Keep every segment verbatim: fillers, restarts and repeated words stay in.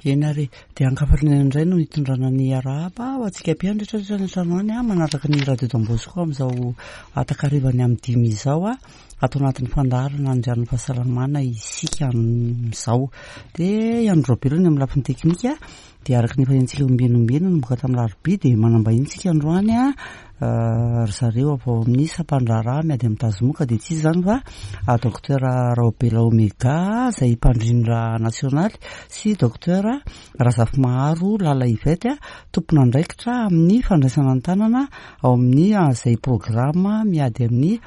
Eny ary, dia ankafaliana indray no hitondrana ny arahaba ho antsika mpihaino rehetra rehetra any an-trano any a, manaraka ny Radio Don Bosco amin'izao atakarivany amin'ny dimy izao a, ato anatin'ny fandaharana andrian'ny fahasalamana isika amin'izao. Dia Andro Rabelo ny amin'ny lafiny teknika, dia araka ny efa henontsika ombieny ombieny nanomboka tamin'ny alarobia dia manambahiny isika androany a, ry zareo avy ao amin'ny sampandraharaha miady amin'ny tazomoka, dia tsy iza izany fa docteur Raobela Omega izay mpandrindra nasionaly sy docteur Razafimaharo Lala Yvette tompon'andraikitra amin'ny fandraisana an-tanana ao amin'ny izay programa miady amin'ny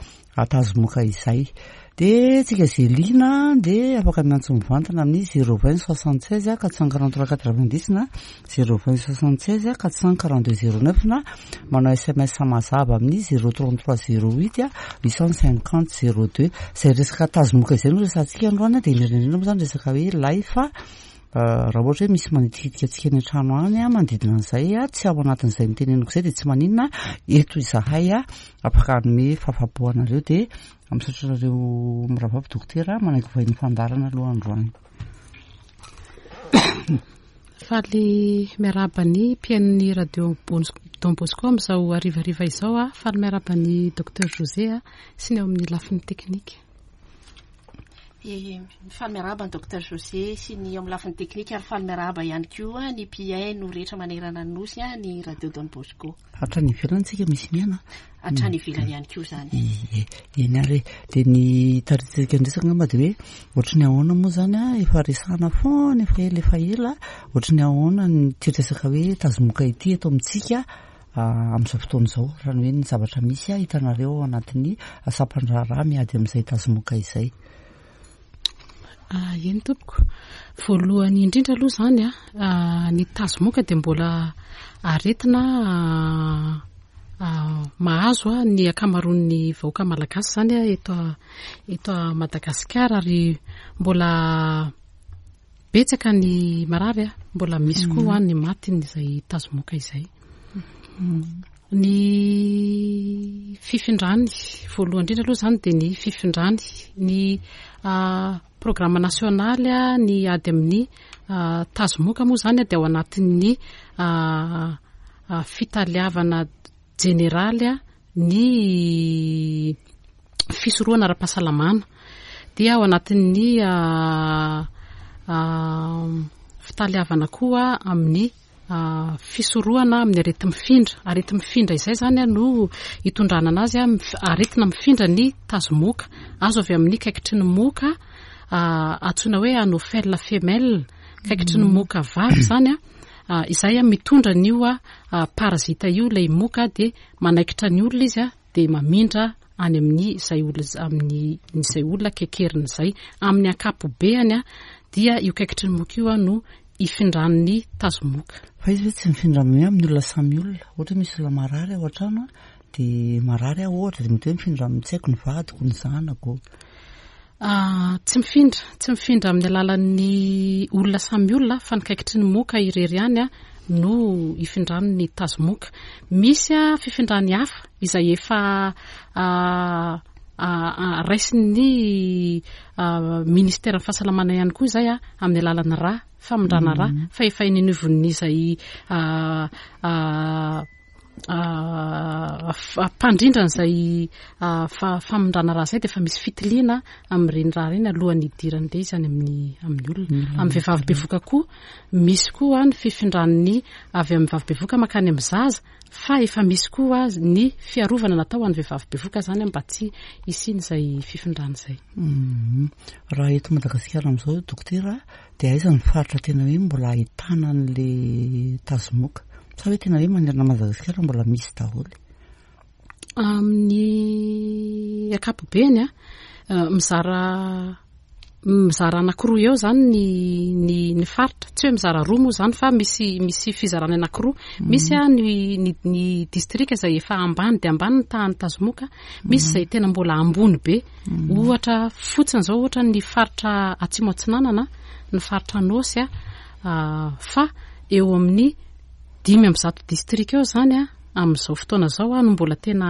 tazomoka izay. Dia tsika izay liana dia afaka miantso mivantana amin'ny zéro vingt soixante seize quatre cent quarante trois quatre vingt dix na zéro vingt soixante seize quatre cent quarante deux zéro neuf na manao S M S mazava amin'ny zéro trente trois zéro huit huit cent cinquante zéro deux. Izay resaka tazomoka izay no resahantsika androany, dia indrindra indrindra moa izany resaka hoe life. Raha ohatra hoe misy manitikitika antsika any an-trano any a, manodidina an'izay a, tsy ao anatin'izay niteneniko izay, dia tsy maninona, eto izahay a afaka hanome fahafapo anareo. Dia misaotra anareo mirahavavy dokotera manaiky vahiny fandaharana aloha androany. Faly miarahaba ny mpihaino ny Radio Don Bosco amin'izao harivariva izao a. Faly miarahaba ny docteur José a sy ny ao amin'ny lafiny teknika. Faly miarahaba ny docteur José sy ny eo amin'ny lafiny teknika, ary faly miarahaba ihany koa ny mpihaino rehetra manerana ny nosy a ny Radio Don Bosco. Hatrany ivelany tsika misy mihaino. Hatrany ivelany ihany koa zany. Ie, eny ary, dia ny taritsika ndresaka angamba dia hoe ohatry ny ahoana moa zany a, efa resahana foana efa ela efa ela, ohatry ny ahoana ny ty resaka hoe tazomoka ity eto amintsika amin'izao fotoana izao, raha ny hoe ny zavatra misy a hitanareo ao anatin'ny sampandraharaha miady amin'izay tazomoka izay? Eny tompoko, voalohany indrindra aloha zany a, ny tazomoka dia mbola aretina mahazo a ny ankamaroan'ny vahoaka malagasy zany a eto eto Madagasikara, ary mbola betsaka ny marary a, mbola misy koa ny maty izay tazomoka izay. Ny fifindrany voalohany indrindra aloha zany dia ny fifindrany ny programme nasionaly a ny ady amin'ny tazomoka moa zany a dia ao anatin'ny fitaliavana jeneraly a ny fisorohana ara-pahasalamana, dia ao anatin'ny fitaliavana koa amin'ny fisorohana amin'ny areti-mifindra. Areti-mifindra izay zany a no hitondrana anazy a, aretina mifindra ny tazomoka, azo avy amin'ny kaikitry ny moka antsoina hoe anophèle femelle, kaikitry ny moka vavy zany a, izay a mitondra an'io a parazita io ilay moka, dia manaikitra ny olona izy a, dia mamindra any amin'ny izay olona amin'ny izay olona kekeriny izay. Amin'ny ankapobeany a dia io kaikitry ny moka io a no ifindran'ny tazomoka. Fa izy hoe tsy mifindra amin'ny amin'ny olona samy olona? Ohatra hoe misy olona marary ao an-trano a, dia marary aho ohatra, dia mety hoe mifindra amin'ny, tsy haiko, ny vadiko, ny zanako? Tsy mifindra, tsy mifindra amin'ny alalan'ny olona samy olona, fa ny kaikitry ny moka irery ihany a no ifindran'ny tazomoka. Misy a fifindrany hafa izay efa raisin'ny ministeran'ny fahasalamana ihany koa izay a, amin'ny alalan'ny rà, famindrana rà, fa efa eny anivon'ny izay mpandrindra an'izay famindrana rà izay, dia efa misy fitiliana amin'ireny rà ireny alohan'ny hidiran'ilay izy any amin'ny amin'ny olona. Amin'ny vehivavy bevoka koa misy koa ny fifindran'ny avy amin'ny vavy bevoka mankany amin'ny zaza, fa efa misy koa ny fiarovana natao ho an'ny vehivavy bevoka zany mba tsy hisian'izay fifindrana izay. Raha eto Madagasikara amin'izao, dokotera, dia aiza ny faritra tena hoe mbola ahitana an'le tazomoka, sa hoe tena hoe manerana Madagasikara mbola misy daholo? Amin'ny ankapobeny a, mizara mizara anankiroa eo zany ny ny ny faritra, tsy hoe mizara roa moa zany fa misy misy fizarana anankiroa. Misy a ny ny ny distrika izay efa ambany dia ambany ny tahan'ny tazomoka, misy izay tena mbola ambony be. Ohatra fotsiny zao, ohatra ny faritra Atsimo Atsinanana, ny faritra Anôsy a, fa eo amin'ny dimy amby zato distrika eo zany a amin'izao fotoana izao a no mbola tena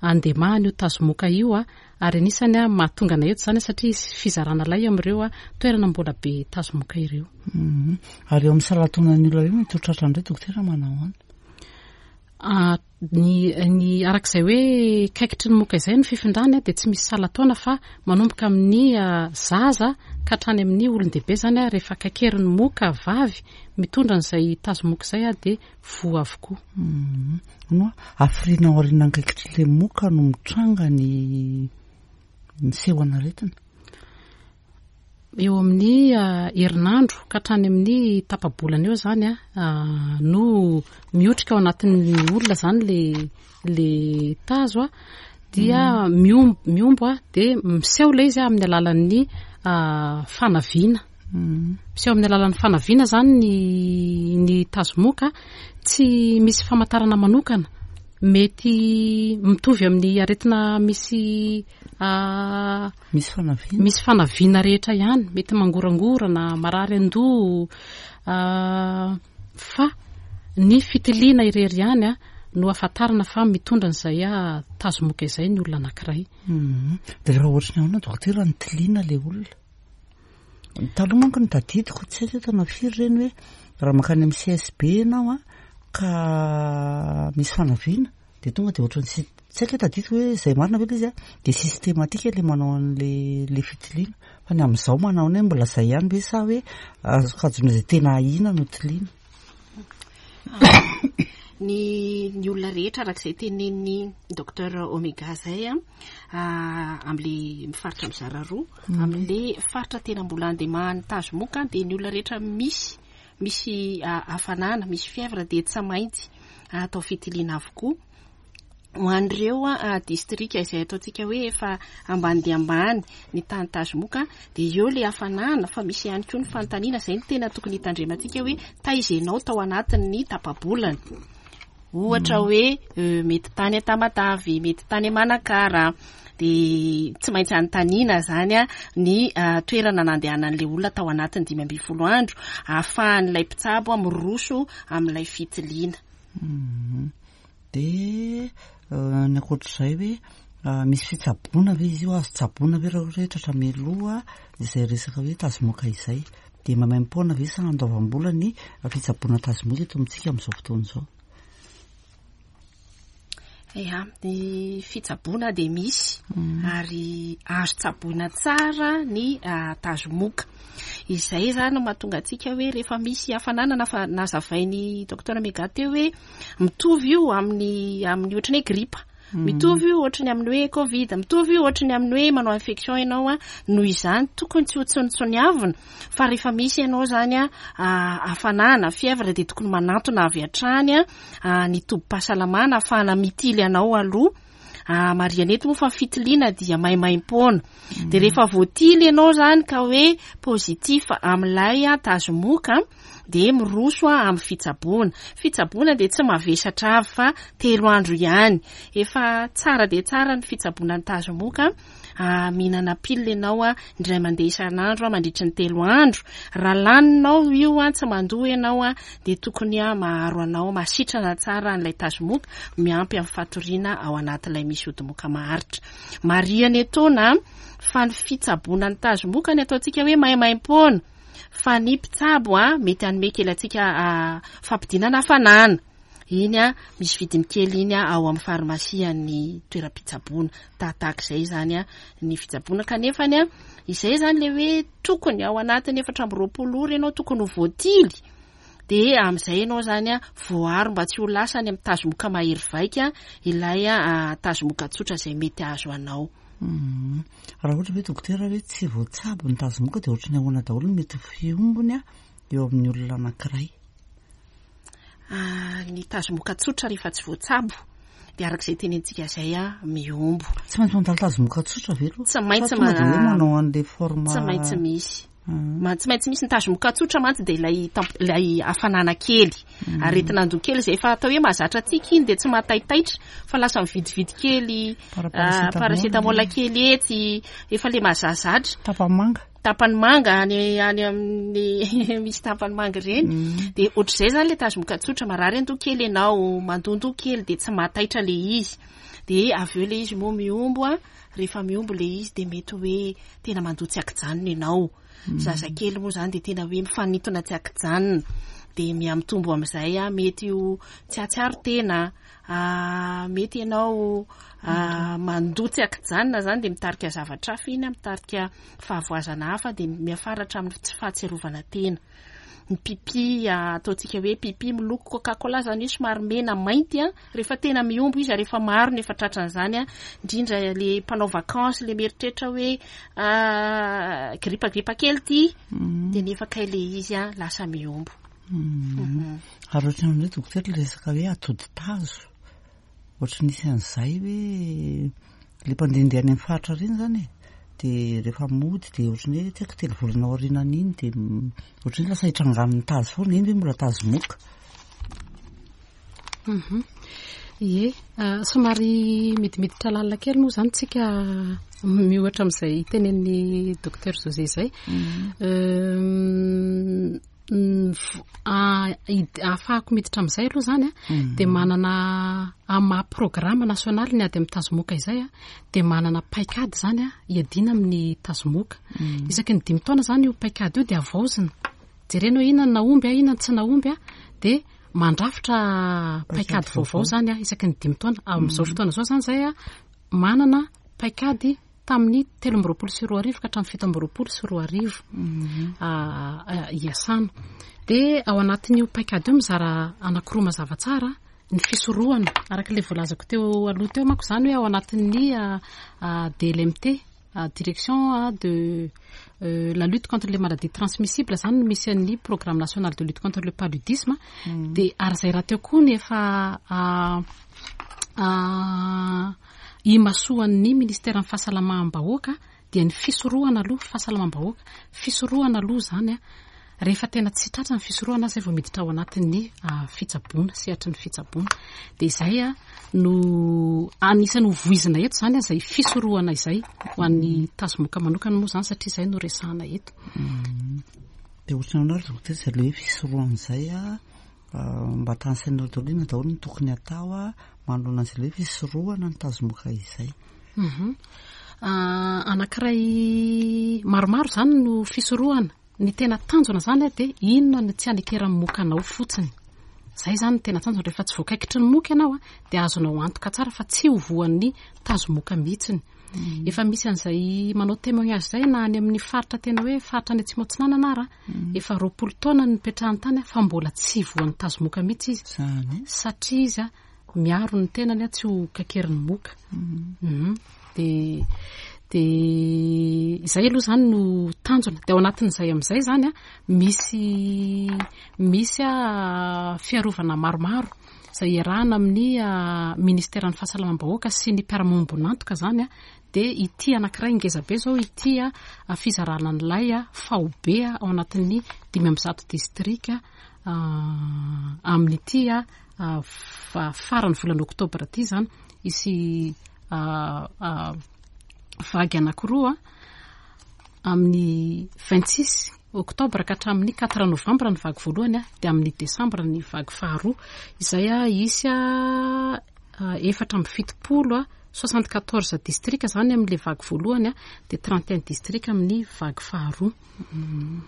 andemahana io tazomoka io a, ary anisany a mahatonga anay eto izany satria fizarana lay amin'ireo a toerana mbola be tazomoka ireo. Mhm. Ary eo amin'ny salan-taonan'ny olona io mety ho tratra indray dokotera manao ahoana? Ah, ny ny arak'izay hoe kaikitry ny moka izay ny fifindrany a dia tsy misy salan-taona fa manomboka amin'ny ah, zaza ka hatrany amin'ny olon-dehibe zany a, rehefa kaikerin'ny moka vavy mitondra an'izay tazomoka izay a dia voa avokoa. Mhm. No, hafiriana aorian'ny kaikitry ilay moka no mitranga ny ny seho an'aretina? Eo amin'ny ah, herinandro ka hatrany amin'ny tapa-bolana eo zany a, ah, no miotrika ao anatin'ny olona zany le le tazo a, dia miombo, miombo a dia miseho ilay izy a amin'ny alalan'ny ah, fanaviana. Mhm. Miseho amin'ny alalan'ny fanaviana zany ny ny tazomoka, tsy misy famantarana manokana, mety mitovy amin'ny aretina misy ah, Misy fanaviana? misy fanaviana rehetra ihany, mety mangorangorana, marary an-doha, ah, fa ny fitiliana irery ihany a no ahafantarana fa mitondra an'izay a tazomoka izay ny olona anankiray. Mhm. Dia rehefa ohatry ny ahoana dokotera ny tiliana ilay olona? Taloha manko ny tadidiko, tsy haiko hoe taona firy ireny hoe raha mankany amin'ny C S B ianao a ka misy fanaviana dia tonga dia ohatran'ny sy-, tsy haiko hoe tadidiko hoe izay marina ve ilay izy a, dia systématique ilay manao an'ilay ilay fitiliana. Fa ny amin'izao manao hoe mbola izay ihany ve sa hoe azo kajona izay tena ahiana no tiliana? Ny, ny olona rehetra arak'izay tenenin'ny docteur Omega zay a, ah, amin'le mifaritra mizara roa, Mhm. amin'le faritra tena mbola andemahan'ny tazomoka dia ny olona rehetra misy, misy, ah, hafanana, misy fièvre dia tsy maintsy atao fitiliana avokoa. Ho an'ireo, ah, distrika izay ataontsika hoe efa ambany dia ambany ny tany tazomoka dia eo le hafanana, fa misy ihany koa ny fanontaniana izay no tena tokony hitandremantsika hoe taiza ianao tao anatin'ny tapa-bolana. Ohatra hoe, euh, mety tany Tamatave, mety tany Manakara, dia tsy maintsy anontaniana zany a ny, ah, toerana nandehanan'ilay olona tao anatin'ny dimy ambin'ny folo andro ahafahan'ilay mpitsabo miroso amin'ilay fitiliana. Mhm. Dia, euh, ny ankoatr'izay hoe, ah, misy fitsaboana ve izy io, azo tsaboana ve raha ohatra hoe tratra mialoha izay resaka hoe tazomoka izay? Dia maimaimpoana ve sa andoavam-bola ny fitsaboana tazomoka eto amintsika amin'izao fotoana izao? Ya, ny fitsaboana dia misy Mm. ary azo tsaboina tsara ny, ah, tazomoka. Izay zany no mahatonga antsika hoe rehefa misy hafanana na fa nazavain'ny docteur Omega teo hoe mitovy io amin'ny, amin'ny ohatran'ny hoe gripa. Mm. Mitovy io ohatran'ny amin'ny hoe Covid, mitovy io ohatran'ny amin'ny hoe manao infection ianao a, noho izany tokony tsy ho tsonitsoniavina fa rehefa misy ianao zany a, ah, hafanana, fièvre dia tokony manantona avy hatrany a, ah, ny tobim-pahasalamana ahafahana mitily anao aloha. Ah, marihana eto moa fa fitiliana dia maimaimpoana. Dia rehefa voatily ianao zany ka hoe positif amin'ilay tazomoka dia miroso a amin'ny fitsaboana. Fitsaboana dia tsy mavesatra avy fa telo andro ihany. Efa tsara dia tsara ny fitsaboana ny tazomoka. Ah, mihinana pilina ianao a indray mandeha isan'andro a mandritry ny telo andro. Raha laninao io a tsy mandoa ianao a dia tokony a maharo anao masitrana tsara an'ilay tazomoka miampy amin'ny fatoriana ao anatin'ilay misy odimoka maharitra. Marihana etoana fa ny fitsaboana ny tazomoka ny ataontsika hoe maimaimpoana fa ny mpitsabo a mety hanome kely antsika, ah, fampidinana hafanana. Iny a misy vidiny kely iny a ao amin'ny farmasian'ny toeram-pitsaboana. Tahatahaka izay zany a ny fitsaboana, kanefany a izay zany le hoe tokony ao anatin'ny efatra amby roapolo ora ianao tokony ho voatily. Dia amin'izay ianao zany a voaro mba tsy ho lasa any amin'ny tazomoka mahery vaika ilay, ah, tazomoka tsotra izay mety hahazo anao. Mhm. Raha ohatra hoe dokotera hoe tsy voatsabo ny tazomoka dia ohatran'ny ahoana daholo no mety ho fiombony a eo amin'ny olona anankiray? Ah, ny tazomoka tsotra rehefa tsy voatsabo dia arak'izay tenentsika izay a miombo. Tsy maintsy mandalo tazomoka tsotra ve aloha? Tsy maintsy Fa tonga dia hoe ma- manao an'ilay forme Tsy maintsy misy. Mhm. Ma-, tsy maintsy misy ny tazomoka tsotra mantsy dia ilay tamp-, ilay hafanana kely. Mhm. Aretina andoha kely izay efa atao hoe mahazatra antsika iny dia tsy mahataitaitra fa lasa mividividy kely, Para- ah, paracetamol. paracetamol kely etsy, efa le mahazazatra. Tapamanga. Tapany manga any any amin'ny misy tapany manga ireny. Mm. De ohatr'izay zany le tazomoka tsotra, marary andoha kely ianao, mandondoha kely de tsy mahataitra le izy. De avy eo le izy moa mihombo a, rehefa mihombo le izy de mety hoe tena mandoa tsy ankijanona ianao. Mm. Zazakely moa zany de tena hoe mifanintona tsy ankijanona. De mihamitombo amin'izay a, mety ho tsy hahatsiaro tena, ah, mety ianao, ah, mandoa tsy ankijanona zany de mitarika zavatra hafa iny, mitarika fahavoazana hafa, de miafaratra amin'ny tsy fahatsiarovana tena. Ny pipi, ah, ataontsika hoe pipi miloko Coca-Cola zany hoe somary mena mainty a, rehefa tena mihombo izy, rehefa maro ny efa tratran'izany a, indrindra le mpanao vacances, le mieritreritra hoe, ah, gripa gripa kely ty, Mm. de nefa kay le izy a lasa mihombo. Mm. Mhm. Ary ohatran'ny hoe dokotera le resaka hoe atody tazo, ohatry nisy an'izay hoe le mpandehandeha any amin'ny faritra ireny zany e, de rehefa mody de ohatran'ny hoe tsy haiko telo volana aorianan'iny de m-, ohatran'ny hoe lasa hitrangan'ny tazo foana, iny ve mbola tazo moka? Mhm. Ie, ah, somary midimiditra lalina kely moa zany tsika miohatra amin'izay tenenin'ny docteur José izay. Mm. Euh, mm, v-, ah, id-, ahafahako miditra amin'izay aloha zany a, Mm. de manana amin'ny maha programme nasionaly ny ady amin'ny tazomoka izay a, de manana paikady zany a hiadiana amin'ny tazomoka. Mm. Isaky ny dimy taona zany io paikady io de havaozina. Jerena hoe inona no nahomby a, inona no tsy nahomby a, de mandrafitra Paikady paikady vaovao vaovao. zany a isaky ny dimy taona. Amin'izao Mm. fotoana izao zany zay a manana paikady tamin'ny telo amby roapolo sy roa arivo ka hatramin'ny fito amby roapolo sy roa arivo, Mm. ah, ah, hiasana. De ao anatin'io paikady io mizara anankiroa mazava tsara ny fisorohana, araka ilay voalazako teo aloha teo manko zany hoe ao anatin'ny, ah, ah, D L M T, ah, direction, ah, de, euh, la lutte contre les maladies transmissibles zany no misy an'ny programme national de lutte contre le paludisme. Mm. De ary izay rahateo koa ny efa, ah, ah, imasoan'ny ministeran'ny fahasalamam-bahoaka dia ny fisorohana aloha, fahasalamam-bahoaka, fisorohana aloha zany a, rehefa tena tsy tratra ny fisorohana zay vao miditra ao anatin'ny, ah, fitsaboana, sehatry ny fitsaboana. De izay a no anisan'ny ho voizina eto zany a, izay fisorohana izay ho an'ny tazomoka manokana moa zany, satria izay no resahana eto. Mm. De ohatran'ny ahoana ary dokotera izay le hoe fisorohana izay a, ah, mba tanisainao daholo inona daholo no tokony atao a manoloana an'izay le hoe fisorohana ny tazomoka izay? Mhm. Ah, anankiray maromaro zany no fisorohana. Ny tena tanjona zany a dia inona no tsy hanekeran'ny moka anao fotsiny. Zay zany no tena tanjona. Rehefa tsy voakaikitry ny moka ianao a, dia azonao antoka tsara fa tsy ho voan'ny tazomoka mihitsiny. Mm. Efa misy an'izay manao témoignage izay na any amin'ny faritra tena hoe faritra any Atsimo Atsinanana ara, Mm. efa roapolo taona no nipetrahany tany a, fa mbola tsy voan'ny tazomoka mihitsy izy. Zany. Satria izy a miaro ny tenany a tsy ho kakerin'ny moka. Mm. Mhm. De, de izay aloha zany no tanjona. De ao anatin'izay amin'izay zany a, misy, misy a fiarovana maromaro izay iarahana amin'ny, ah, ministeran'ny fahasalamam-bahoaka sy ny mpiara-miombon'antoka zany a. De ity anankiray ngeza be zao ity a, a fizarana an'ilay a faobe a ao anatin'ny dimy amby zato distrika, ah, amin'ity a, ah, fa-, farany volana oktobra ity zany hisy, ah, ah, vagy anankiroa amin'ny vingt-six octobre ka hatramin'ny quatre novembre ny vagy voalohany a, dia amin'ny décembre ny vagy faharoa. Izay a hisy a, a, efatra amby fitopolo a, soixante-quatorze distrika zany amin'ilay vagy voalohany a, dia trente et un distrika amin'ny vagy faharoa. Mm.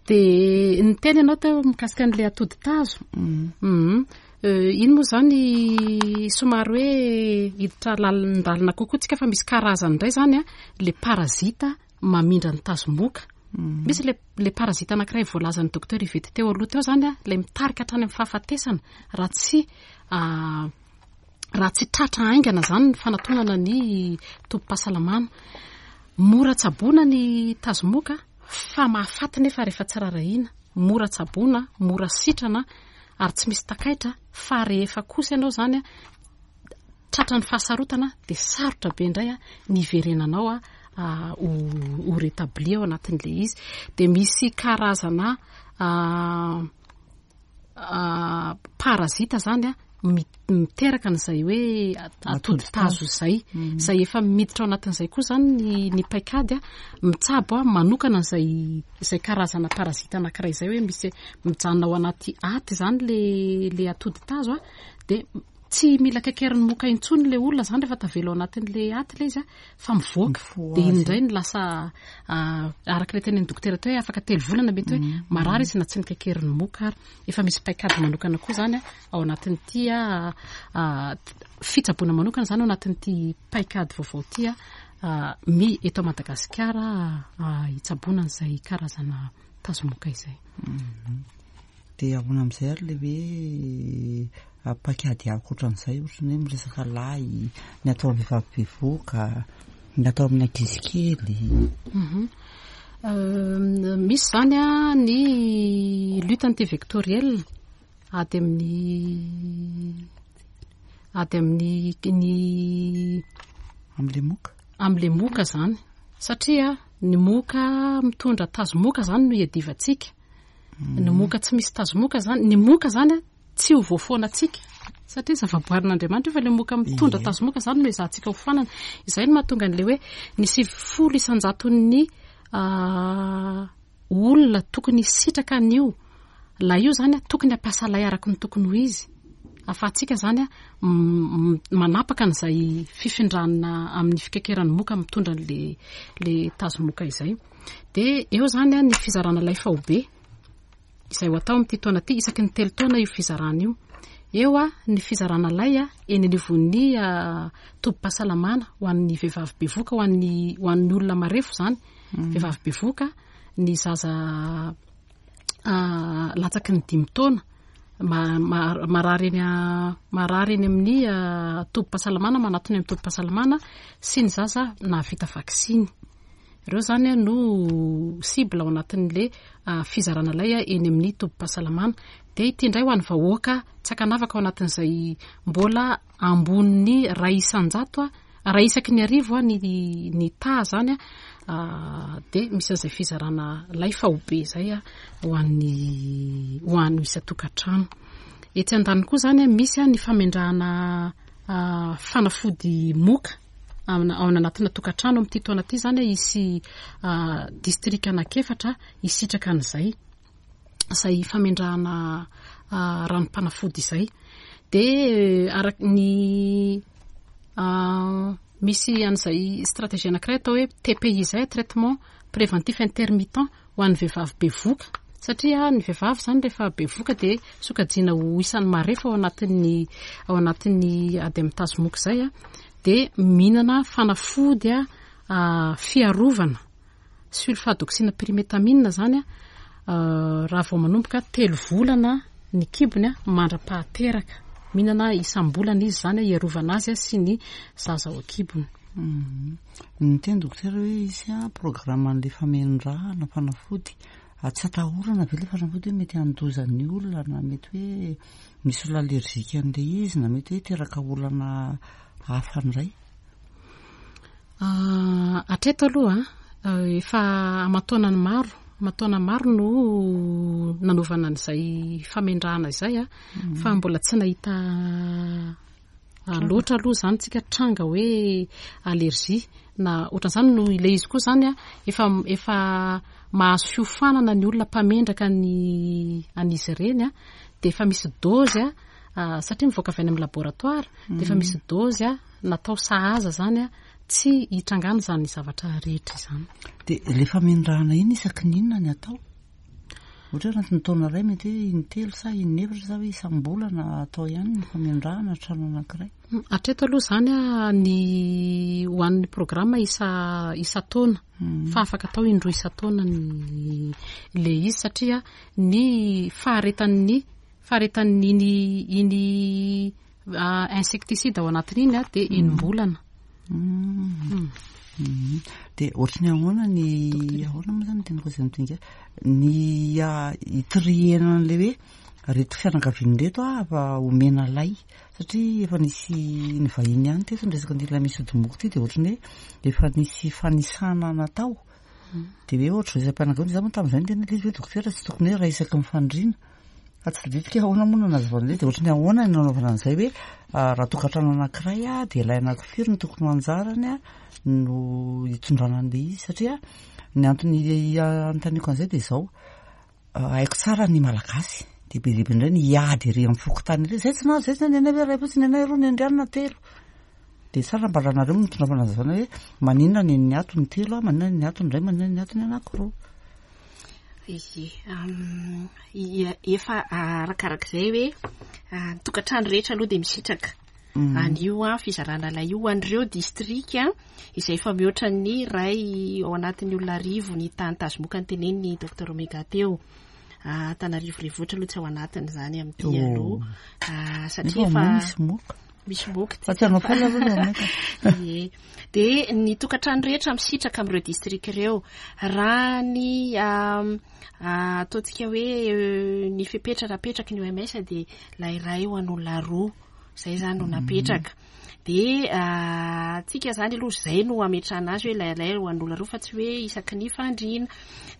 Dia niteny ianao teo mikasika an'ilay atody tazo. Mm. Mm. Euh, iny moa zany somary hoe hiditra lalindalina kokoa tsika fa misy karazany indray zany a, le parasita mamindra ny tazomoka. Mm. Misy le, le parasita anankiray voalazan'ny docteur Yvette teo aloha teo zany a, ilay mitarika hatrany amin'ny fahafatesana raha tsy, ah, raha tsy tratra haingana zany ny fanatonana ny tobim-pahasalamana. Mora tsaboina ny tazomoka fa mahafaty nefa rehefa tsy rarahina. Mora tsaboina, mora sitrana ary tsy misy takaitra, fa rehefa kosa ianao zany a tratra ny fahasarotana dia sarotra be indray a ny hiverenanao a, a, ho, ho rétabli ao anatin'ilay izy. Dia misy karazana, a, a, parasita zany a miteraka an'izay hoe atody tazo izay. Izay efa miditra ao anatin'izay koa izany ny, ny paikady a, mitsabo a, manokana an'izay izay karazana parazita anankiray izay, hoe misy mijanona ao anaty aty izany le le atody tazo a, dia tsy mila kaikerin'ny moka intsony le olona izany rehefa tavela ao anatin'le aty le izy a, fa mivoaka. Dia iny indray no lasa araka ilay tenenin'ny dokotera teo hoe afaka telo volana mety hoe marary izy na tsy nikaikerin'ny moka ary. Efa misy paikady manokana koa izany a, ao anatin'ity a, fitsaboana manokana izany ao anatin'ity paikady vaovao ity a, mi eto Madagasikara hitsaboana an'izay karazana tazomoka izay. Dia ahoana amin'izay ary le hoe paikady ankoatran'izay, ohatran'ny hoe miresaka lay, ny atao amin'ny vehivavy bevohoka, ny atao amin'ny ankizy kely? Misy izany a ny lutte antivectorielle, ady amin'ny ady amin'ny ny amin'ilay moka, amin'ilay moka izany, satria ny moka mitondra tazomoka izany no iadivantsika. Ny moka tsy misy tazomoka izany, ny moka izany a tsy ho voafoanantsika satria zavaboarin'Andriamanitra io, fa ilay moka mitondra tazomoka izany no ezahantsika ho foanana. Izay no mahatonga an'ilay hoe ny sivifolo isan-jaton'ny olona tokony hisitraka an'io lay io izany a, tokony hampiasa lay araka ny tokony ho izy, ahafahantsika izany a manapaka an'izay fifindranina amin'ny fikaikeran'ny moka mitondra an'le le tazomoka izay. Dia eo izany a ny fizarana lay faobe izay ho atao amin'ity taona ity, isaky ny telo taona io fizarana io. Eo a ny fizarana lay a eny anivon'ny tobim-pahasalamana ho an'ny vehivavy bevohoka, ho an'ny ho an'ny olona marefo izany, vehivavy bevohoka, ny zaza latsaky ny dimy taona marary eny marary eny amin'ny tobim-pahasalamana, manatona amin'ny tobim-pahasalamana, sy ny zaza nahavita vaksiny. Ireo izany no cible ao anatin'le fizarana lay eny amin'ny tobim-pahasalamana. Dia ity indray ho an'ny vahoaka tsy ankanavaka ao anatin'izay mbola ambonin'ny ray isan-jato, ray isaky ny arivo ny ny taha izany a, dia misy an'izay fizarana lay faobe izay a ho an'ny ho an'ny isan-tokantrano. Etsy andaniny koa izany misy ny famendrahana fanafody moka ao anatina tokantrano. Amin'ity taona ity izany hisy distrika anankiefatra hisitraka an'izay izay famendrahana ranom-panafody izay. Dia araka ny misy an'izay stratégie anankiray atao hoe T P I izay, traitement préventif intermittent ho an'ny vehivavy bevohoka, satria ny vehivavy izany rehefa bevohoka dia sokajiana ho isan'ny marefo ao anatin'ny ao anatin'ny ady amin'ny tazomoka izay a, dia mihinana fanafody a fiarovana sulfadoxine pyrimétamine izany a, raha vao manomboka telo volana ny kibony a mandra-pahateraka, mihinana isam-bolana izy izany hiarovana azy sy ny zaza ao an-kibony. Ny teny dokotera hoe isy a programme an'ilay famendrahana fanafody, tsy atahorana ve ilay fanafody hoe mety handoza ny olona, na mety hoe misy olona allergique an'ilay izy, na mety hoe hiteraka olana hafa indray? Hatreto aloha efa aman-taonany maro, aman-taona maro no nanaovana an'izay famendrahana izay a, fa mbola tsy nahita loatra aloha izany tsika tranga hoe allergie na ohatran'izany. No ilay izy koa izany a, efa efa mahazo fiofanana ny olona mpamendraka ny an'izy ireny a, dia efa misy dose a, satria mivoaka avy any amin'ny laboratoire, dia efa misy dose a natao sahaza izany a, tsy hitrangana izany zavatra rehetra izany. Dia ilay famendrahana iny isaky ny inona ny atao? Ohatra hoe anatin'ny taona iray mety hoe intelo sa inefatra sa hoe isam-bolana atao ihany ny famendrahana trano anankiray? Hatreto aloha izany a ny ho an'ny programme isa isan-taona, fa afaka atao indroa isan-taona ny le izy, satria ny faharetan'ny faharetan'iny iny insecticide ao anatin'iny a dia enim-bolana. Dia ohatry ny ahoana ny ahoana moa izany tena koa miteny ny hitriena an'ilay hoe reto fianakaviana reto a fa omena lay, satria efa nisy ny vahiny ihany teto niresaka an'ity lay misy ody moka ity, dia ohatry ny hoe efa nisy fanisana natao, dia hoe ohatry izay isam-pianakaviana. Izaho moa tamin'izay niteny hoe izy hoe dokotera tsy tokony hoe ray isaky ny fandriana Fa tsy tadidiko hoe ahoana moa no nanazavana an'ilay, dia ohatran'ny ahoana no nanaovana an'izay hoe raha tokantrano anankiray a, dia ilay anankifiry no tokony ho anjarany a no hitondrana an'ilay izy, satria ny antony anontaniako an'izay dia izao, haiko tsara ny Malagasy, dia be dia be indray ny hiady ery amin'ny fokontany ery, izay tsy nahazo, izay tsy nahazo, ny anay iray fotsiny, ny anay roa, ny andrianina telo. Dia tsara mba raha nareo no mitondra fanazavana hoe maninona ny an'ny ato ny telo, maninona ny ato ny iray, maninona ny ato ny anankiroa. Ie, efa arakarak'izay hoe ny tokantrano rehetra aloha dia misitraka an'io fizarana lay io ho an'ireo distrika izay efa mihoatra ny iray ao anatin'ny olona arivo ny tany tazomoka ny teneniny docteur Omega teo. Antananarivo renivohitra aloha tsy ao anatiny izany amin'ity aloha, satria efa misy moka. Misy moka. Fa tsy hanao faly aloha ilay Omega. Ie. Dia ny tokantrano rehetra misitraka amin'ireo distrika ireo. Raha ny ataontsika hoe ny fepetra napetraky ny O M S dia ilay iray ho an'olona roa. Izay izany no napetraka. Dia tsika izany aloha izay no ametrahana azy hoe ilay iray ho an'olona roa fa tsy hoe isaky ny fandriana.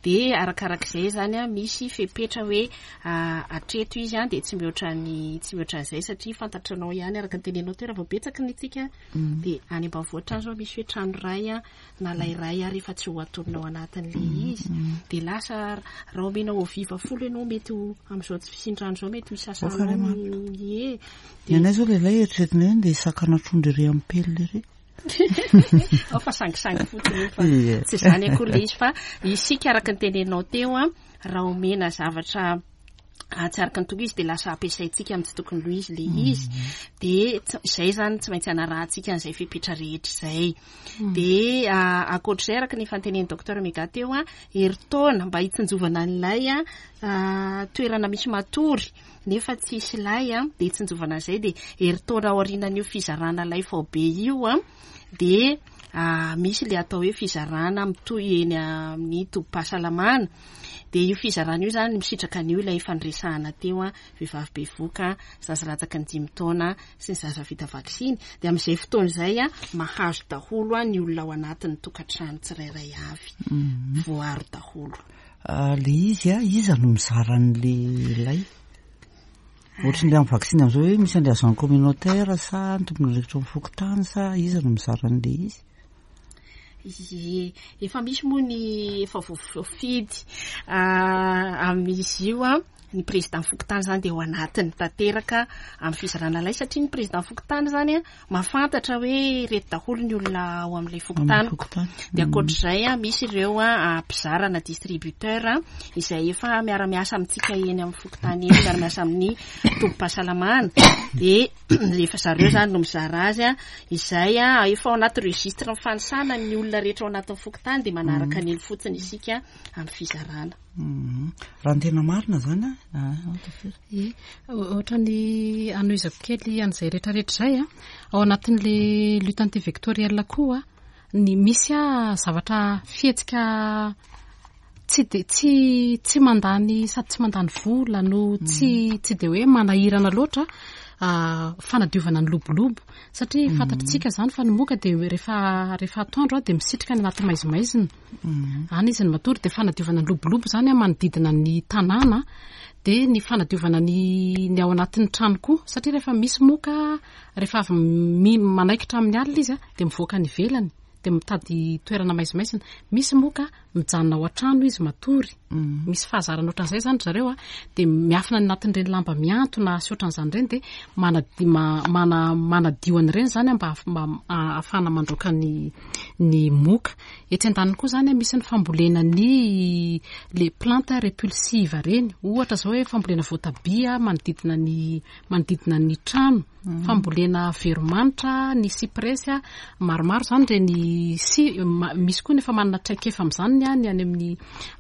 Dia arakarak'izay izany a, misy fepetra hoe hatreto izy a, dia tsy mihoatra ny, tsy mihoatra an'izay satria fantatranao ihany araka ny teneninao teo raha vao betsaka ny tsika. Dia any ambanivohitra any izao misy hoe trano iray a, na ilay iray ary efa tsy ho atonina ao anatin'ilay izy. Dia lasa raha omenao eau vive folo ianao mety ho amin'izao tsy fisian-drano izao mety ho isasanao ny ie. Ny anay izao lehilahy eritreretina hoe andeha hisakana trondro ery amin'ny pelina ery. Ao fa sangisangy fotsiny io fa Ie. tsy izany akory ilay izy fa isika araka ny teneninao teo a, raha omena zavatra tsy araka ny tokony izy dia lasa ampiasaintsika amin'ny tsy tokony ho izy ilay izy. Dia tsy-, izay izany tsy maintsy anarahantsika an'izay fepetra rehetra izay. Dia ankoatr'izay araka ny fantenenin'ny docteur Omega teo a, herintaona mba hitsinjovana an'ilay a, toerana misy matory nefa tsisy lay a, dia hitsinjovana an'izay dia herintaona aorianan'io fizarana lay faobe io a, dia misy ilay atao hoe fizarana mitohy eny amin'ny tobim-pahasalamana. Dia io fizarana io izany misitraka an'io ilay fandresahana teo a, vehivavy bevoka, zaza latsaky ny dimy taona sy ny zaza vita vaksiny. Dia amin'izay fotoana izay a, mahazo daholo a ny olona ao anatin'ny tokantrano tsirairay avy. Mhm. Voaro daholo. Ah, le izy a, iza no mizara an'le lay? Ohatran'ilay amin'ny vaksiny amin'izao hoe misy an'ilay agent communautaire sa ny tompon'andraikitra amin'ny fokontany sa iza no mizara an'le izy? Ie, efa misy moa ny efa voafidy, ah, amin'izy io a, ny président fokontany izany dia ao anatiny tanteraka amin'ny fizarana lay satria ny président fokontany izany a, mahafantatra hoe ireto daholo ny olona ao amin'ilay fokontany. Amin'ny fokontany. Dia ankoatr'izay a, misy ireo a, mpizara na distributeur a, izay efa miara-miasa amintsika eny amin'ny fokontany eny, miara-miasa amin'ny tobim-pahasalamana. Dia efa zareo izany no mizara azy a, izay a, efa ao anaty registre mifanisana ny olona rehetra ao anatin'ny fokontany dia manaraka an'iny fotsiny isika amin'ny fizarana. Mhm. Raha ny tena marina izany a, ah, ohatra firy? Ie, ohatran'ny anohizako kely an'izay rehetrarehetra izay a, ao anatin'le lutte antivectorielle koa a, ny misy a zavatra fihetsika tsy de, tsy, tsy mandany sady tsy mandany vola no tsy, tsy de hoe manahirana loatra, ah, fanadiovana ny lobolobo satria Mm. fantatritsika izany fa ny moka dia rehefa, rehefa atoandro a dia misitrika any anaty maizimaizina. Mm. Any izy ny matory dia fanadiovana ny lobolobo izany a manodidina ny tanàna dia ny fanadiovana ny, ny ao anatin'ny trano koa satria rehefa misy moka rehefa avy mi-, manaikitra amin'ny alina izy a dia mivoaka any ivelany dia mitady toerana maizimaizina. Misy moka mijanona ao an-trano izy matory. Mm. Misy fahazarana ohatran'izay izany ry zareo a, dia miafina any anatin'ireny lamba mihantona sy ohatran'izany ireny dia manadi-, ma-, mana-, manadio an'ireny izany a, mba haf-, mba ahafahana mandroaka ny, ny moka. Etsy andaniny koa izany a, misy ny fambolena ny le plante répulsive ireny. Ohatra izao hoe fambolena voatabia manodidina ny, manodidina ny trano. Mm. Fambolena veromanitra, ny cyprès a, maromaro izany ireny sy, ma-, misy koa ny efa manana traikefa amin'izany ny any, any amin'ny,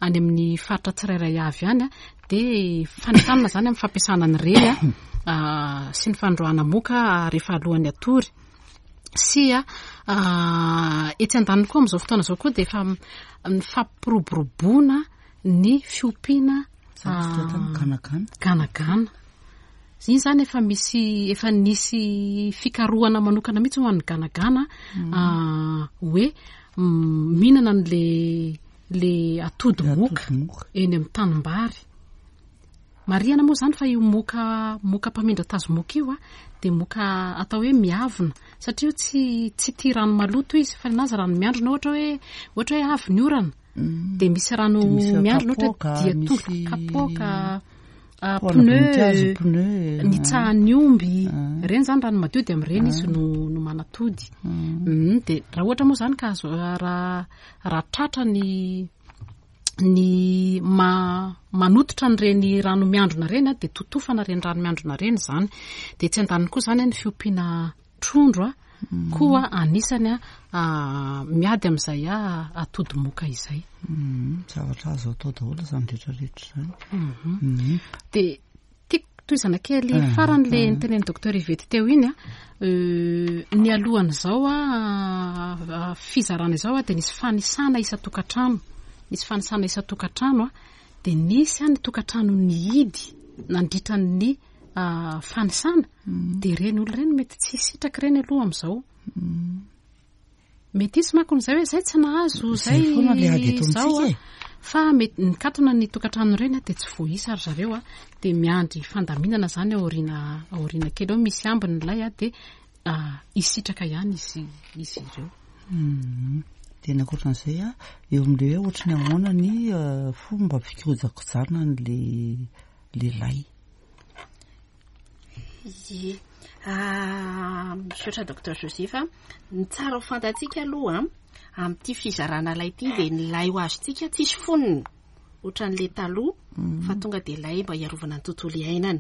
any amin'ny faritra tsirairay avy any a, dia fanentanana izany amin'ny fampiasana an'ireny a, ah, sy ny fandroahana moka rehefa alohan'ny hatory. Sy a, ah, etsy andaniny koa amin'izao fotoana izao koa dia efa ny fampiroboroboana ny fiompiana, Zany tsy ah, tena ganagana. ganagana. Iny izany efa misy, efa nisy fikarohana manokana mihitsy ho an'ny ganagana, Mm. ah, hoe, mm, mihinana an'le, le atody Le moka atody moka. eny amin'ny tanimbary. Marihana moa izany fa io moka moka mpamindra tazomoka io a dia moka atao hoe miavona, satria io tsy tsy tia rano maloto izy, fa ninazy rano miandrona, ohatra hoe ohatra hoe avy ny orana Mm. dia misy rano Dia misy miandrona, ohatra kapoaka, dia misy tonga kapoaka, ah, Paona voninkazo, pneu, pneu. nitsahan'ny omby, Ah. ireny izany rano madio dia amin'ireny izy no no manatody. Mm. Mm, dia raha ohatra moa izany ka azo, raha raha tratra ny ny ma-, manototra an'ireny rano miandrona ireny a, dia totofana ireny rano miandrona ireny izany. Dia tsy andaniny koa izany a, ny fiompiana trondro a, Mm. koa anisany a, a, miady amin'izay a, atody moka izay. Mm, zavatra azo atao daholo izany rehetrarehetra izany. Mhm. Mm. Dia tiako tohizana kely Ah, farany le ah. nitenen'ny docteur Yvette teo iny a, euh, ny alohan'izao a, a, fizarana izao a, dia nisy fanisana isan-tokantrano. Nisy fanisana isan-tokantrano a, dia nisy a ny tokantrano nihidy nandritra ny, a, fanisana. Mm. Dia ireny olona ireny mety tsy hisitraka ireny aloha amin'izao. Mm. Mety hisy manko izay hoe izay tsy nahazo, Izay izay foana ilay ady eto izao amintsika a. e. Fa mety nikatona ny tokantrano ireny a, dia tsy voaisa ry zareo a, dia miandry fandaminana izany aoriana, aoriana kely eo, misy ambiny ilay a, dia, a, hisitraka ihany izy, izy ireo. Mm. Dia ny ankoatran'izay a, eo amin'ilay hoe ohatry ny ahoana ny, eh, fomba fikojakojana an'ilay lay. Ie. Ah, misaotra docteur Joseph. Ny tsara ho fantatsika aloha amin'ity fizarana lay ity dia ny lay ho azontsika tsisy fonony ohatran'ilay taloha, Mm. fa tonga dia lay mba hiarovana ny tontolo iainana.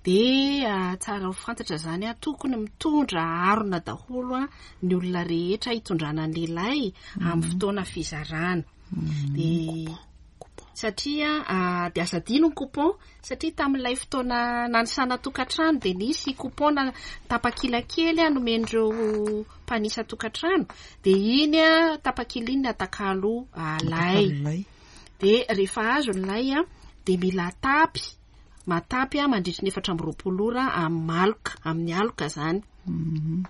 Dia, ah, tsara ho fantatra izany a, tokony mitondra harona daholo a, ny olona rehetra hitondrana ny lay amin'ny fotoana fizarana. Mm. Dia satria, ah, dia aza adino ny coupon, satria tamin'ilay fotoana nanisana tokantrano dia nisy coupon na tapakila kely a, nomen'ireo mpanisa tokantrano, dia iny a, tapakila iny atakalo, ah, lay. Atakalo lay. Dia rehefa azo ny lay a, dia mila atapy, matapy a, mandritry ny efatra amby roapolo ora amin'ny maloka, amin'ny aloka izany. Mhm.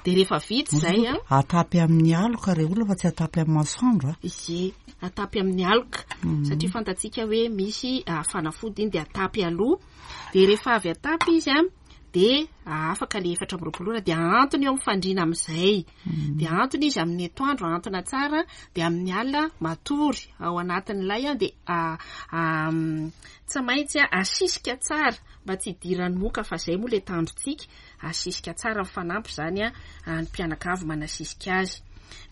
Dia rehefa vita izay a, Atapy amin'ny aloka re olona fa tsy atapy amin'ny masoandro a. Ie, atapy amin'ny aloka. Mhm. Satria fantatsika hoe misy, ah, fanafody iny dia atapy aloha. Dia rehefa avy atapy izy a, dia afaka le efatra amby roapolo ora dia ahantona eo amin'ny fandriana amin'izay. Mhm. Dia ahantona izy amin'ny atoandro, ahantona tsara, dia amin'ny alina matory ao anatin'ilay a, dia, ah, ah, mm, tsy maintsy a, asisika tsara mba tsy hidiran'ny moka, fa izay moa le tandrontsika, asisika tsara mifanampy izany a, ah, ny mpianakavy manasisika azy.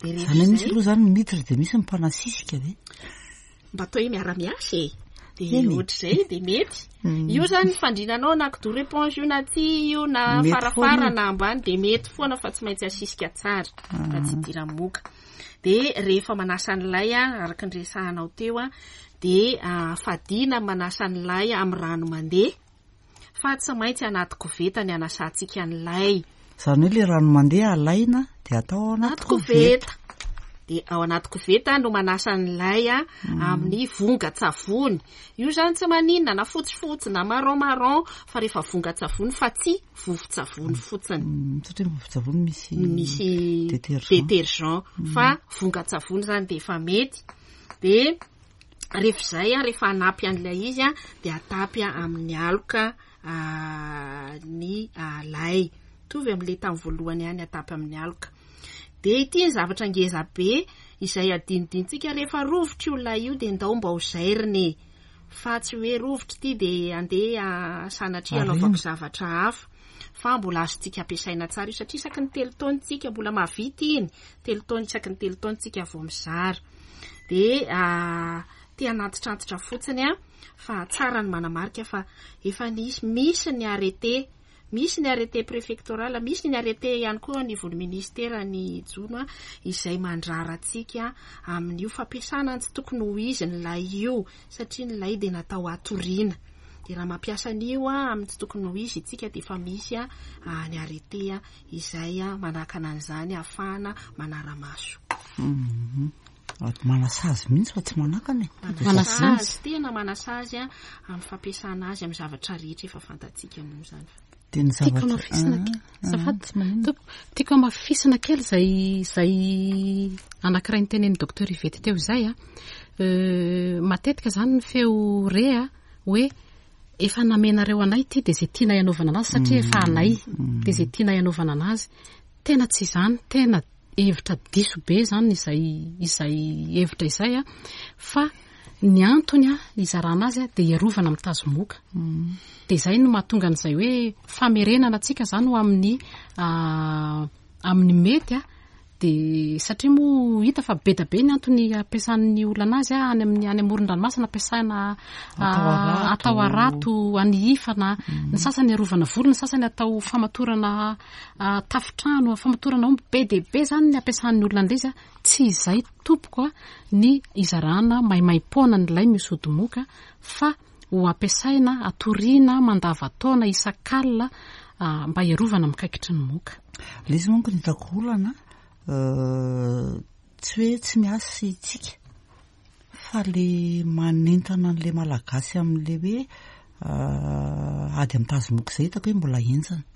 Dia rehefa Izany hoe misy izay aloha izany miditra dia misy ny mpanasisika ve? Mba atao hoe miara-miasa e. Dia Eny e. ohatr'izay dia mety. Mm. Io izany ny fandrinanao na kidoro éponge io na ty io na Mety farafara foana. na ambany dia mety foana fa tsy maintsy asisika tsara fa tsy Ah. hidiran'ny moka. Dia rehefa manasa ny lay a, araka ny resahanao teo a, dia, ah, fadiana manasa ny lay amin'ny rano mandeha fa tsy maintsy anaty koveta ny anasantsika ny lay. Izany hoe ilay rano mandeha alaina dia atao ao anaty Anaty koveta. Dia ao anaty koveta no manasa ny lay a, Mm. amin'ny vongan-tsavony. Io izany tsy maninona na fotsifotsy na marron marron fa rehefa vongan-tsavony fa tsy vovon-tsavony fotsiny. Mm, satria vovon-tsavony misy Misy détergent. détergent. Mm. Fa vongan-tsavony izany dia efa mety. Dia rehefa izay a, rehefa hanapy an'ilay izy a, dia atapy a amin'ny aloka, ah, ny, ah, lay. Mitovy amin'ilay tamin'ny voalohany ihany, atapy amin'ny aloka. Dia ity ny zavatra ngeza be izay adinodinontsika rehefa rovitra io lay io dia ndao mba ho zairina e. Fa tsy hoe rovitra ity dia andeha sanatria Arina. hanaovako zavatra hafa. Fa mbola azontsika ampiasaina tsara io satria isaky ny telo taona tsika mbola mahavita iny. Telo taona, isaky ny telo taona tsika vao mizara. Dia, ah, te hanantitrantitra fotsiny a, fa tsara ny manamarika fa efa nisy, misy ny arrêté, misy ny arrêté préfectoral, misy ny arrêté ihany koa anivon'ny ministera ny jono a, izay mandrara antsika amin'io fampiasana ny tsy tokony ho izy ny lay io, satria ny lay dia natao hatoriana. Dia raha mampiasa an'io a, amin'ny tsy tokony ho izy isika dia efa misy a, a, ny arrêté a, izay a, manakana an'izany ahafahana manara-maso. Mhm. Manasazy mihitsy fa tsy manakana e. Manasazy, tena manasazy a, amin'ny fampiasana azy amin'ny zavatra rehetra efa fantatsika moa izany. Dia ny Tiako zavatra- hamafisina Ah, kely. ah, Azafady. tsy maninona. Tompoko, tiako hamafisina kely izay, izay anankiray nitenenin'ny docteur Yvette teo izay a. Euh, matetika izany ny feo re a, hoe Efa namenareo anay ity, dia izay tianay anaovana anazy, satria efa anay, dia izay tianay anaovana anazy. Tena tsy izany, tena hevitra diso be izany izay izay hevitra izay a, fa ny antony a izarana azy a dia hiarovana amin'ny tazomoka. Dia izay no mahatonga an'izay hoe famerenana antsika izany ho amin'ny amin'ny mety a. Dia satria moa hita fa be dia be ny antony ampiasan'ny olona anazy a, any amin'ny any amoron-dranomasina ampiasaina atao harato, anihifana, ny sasany arovana volo, ny sasany atao famatorana tafotrano, famatorana omby. Be dia be izany ny ampiasan'ny olona an'ilay izy a. Tsy izay tompoko a ny izarana maimaim-poana an'ilay misy ody moka, fa ho ampiasaina atoriana mandava-taona isan-kalina mba hiarovana amin'ny kaikitry ny moka. Ilay izy manko ny hitako olana, tsy hoe tsy miasa isika, fa le manentana an'ilay Malagasy amin'ilay hoe ady amin'ny tazomoka izay hitako hoe mbola henjana.